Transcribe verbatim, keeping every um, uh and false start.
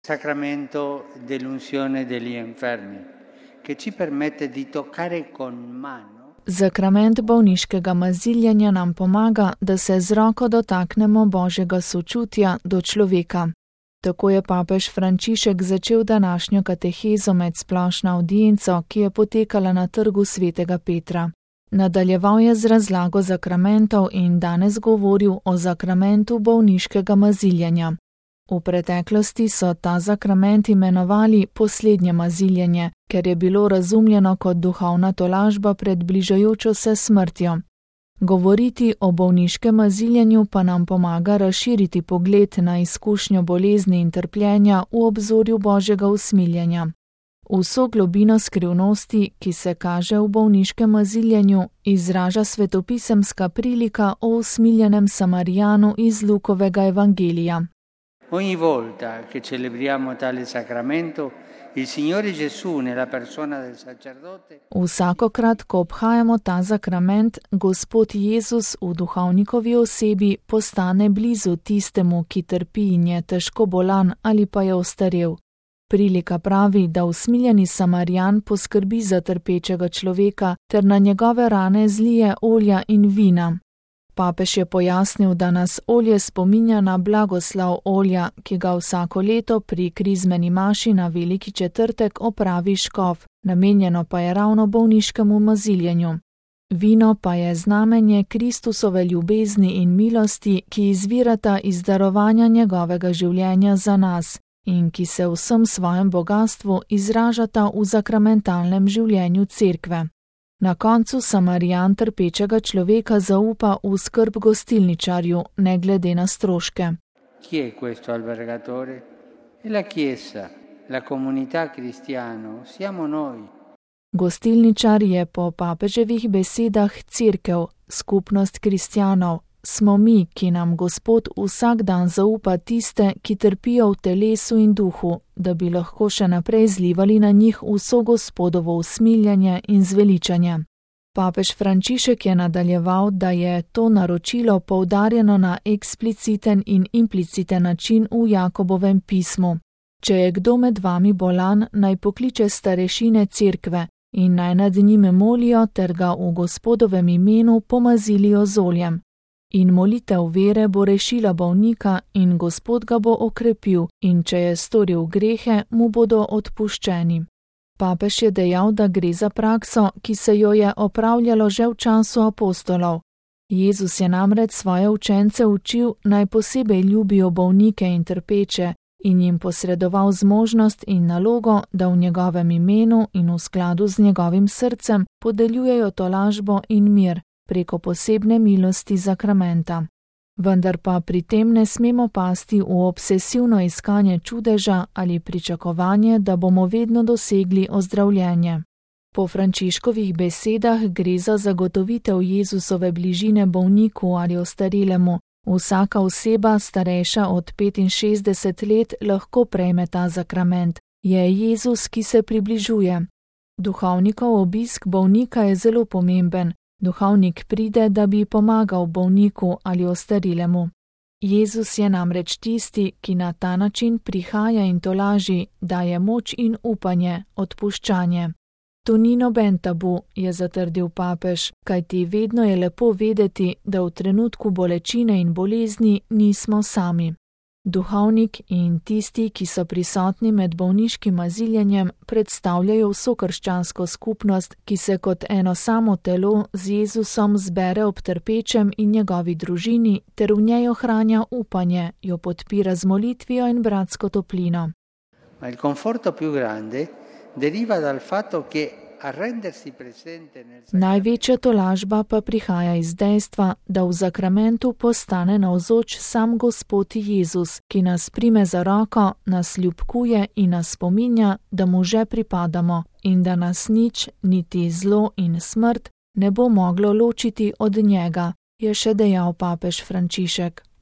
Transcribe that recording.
Sacramento dell'unzione degli infermi, che ci permette di toccare con mano. Zakrament bolniškega maziljanja nam pomaga, da se z roko dotaknemo Božjega sočutja do človeka. Tako je papež Frančišek začel današnjo katehezo med splošno avdienco, ki je potekala na trgu svetega Petra. Nadaljeval je z razlago zakramentov in danes govoril o zakramentu bolniškega maziljanja. V preteklosti so ta zakrament imenovali poslednje maziljanje, ker je bilo razumljeno kot duhovna tolažba pred bližajočo se smrtjo. Govoriti o bolniškem maziljenju pa nam pomaga razširiti pogled na izkušnjo bolezni in trpljenja v obzorju Božjega usmiljenja. Vso globino skrivnosti, ki se kaže v bolniškem maziljenju, izraža svetopisemska prilika o usmiljenem Samarijanu iz Lukovega evangelija. Ogni volta che celebriamo tale sacramento, il Signore Gesù nella persona del sacerdote. Vsakokrat, ko obhajamo ta sakrament, Gospod Jezus v duhovnikovi osebi postane blizu tistemu, ki trpi in je težko bolan ali pa je ostarel. Prilika pravi, da usmiljeni Samarijan poskrbi za trpečega človeka ter na njegove rane zlije olja in vina. Papež je pojasnil, da nas olje spominja na blagoslav olja, ki ga vsako leto pri krizmeni maši na Veliki četrtek opravi škof, namenjeno pa je ravno bolniškemu maziljenju. Vino pa je znamenje Kristusove ljubezni in milosti, ki izvirata iz darovanja njegovega življenja za nas in ki se v vsem svojem bogastvu izražata v zakramentalnem življenju Cerkve. Na koncu Samarijan trpečega človeka zaupa v skrb gostilničarju, ne glede na stroške. Chi è questo albergatore? È la Chiesa, la comunità cristiana, siamo noi. Gostilničar je po papeževih besedah Cerkev, skupnost kristjanov. Smo mi, ki nam Gospod vsak dan zaupa tiste, ki trpijo v telesu in duhu, da bi lahko še naprej zlivali na njih vso Gospodovo usmiljanje in zveličanje. Papež Frančišek je nadaljeval, da je to naročilo poudarjeno na ekspliciten in impliciten način v Jakobovem pismu. Če je kdo med vami bolan, naj pokliče starešine Cerkve in naj nad njime molijo ter ga v Gospodovem imenu pomazilijo z oljem. In molitev vere bo rešila bolnika in Gospod ga bo okrepil in če je storil grehe, mu bodo odpuščeni. Papež je dejal, da gre za prakso, ki se jo je opravljalo že v času apostolov. Jezus je namreč svoje učence učil, naj posebej ljubijo bolnike in trpeče in jim posredoval zmožnost in nalogo, da v njegovem imenu in v skladu z njegovim srcem podeljujejo tolažbo in mir preko posebne milosti zakramenta. Vendar pa pri tem ne smemo pasti v obsesivno iskanje čudeža ali pričakovanje, da bomo vedno dosegli ozdravljenje. Po Frančiškovih besedah gre za zagotovitev Jezusove bližine bolniku ali ostarelemu. Vsaka oseba, starejša od petinšestdeset let, lahko prejme ta zakrament. Je Jezus, ki se približuje. Duhovnikov obisk bolnika je zelo pomemben. Duhovnik pride, da bi pomagal bolniku ali ostarelemu. Jezus je namreč tisti, ki na ta način prihaja in tolaži, daje moč in upanje, odpuščanje. To ni noben tabu, je zatrdil papež, kajti vedno je lepo vedeti, da v trenutku bolečine in bolezni nismo sami. Duhovnik in tisti, ki so prisotni med bolniškim maziljenjem, predstavljajo vso krščansko skupnost, ki se kot eno samo telo z Jezusom zbere ob trpečem in njegovi družini ter v njej ohranja upanje, jo podpira z molitvijo in bratsko toplino. Ma il conforto più grande deriva dal fatto che arrendersi presente nel sacramento. Največja tolažba pa prihaja iz dejstva, da v zakramentu postane navzoč sam Gospod Jezus, ki nas prime za roko, nas ljubkuje in nas spominja, da mu že pripadamo in da nas nič, niti zlo in smrt, ne bo moglo ločiti od njega, je še dejal papež Frančišek.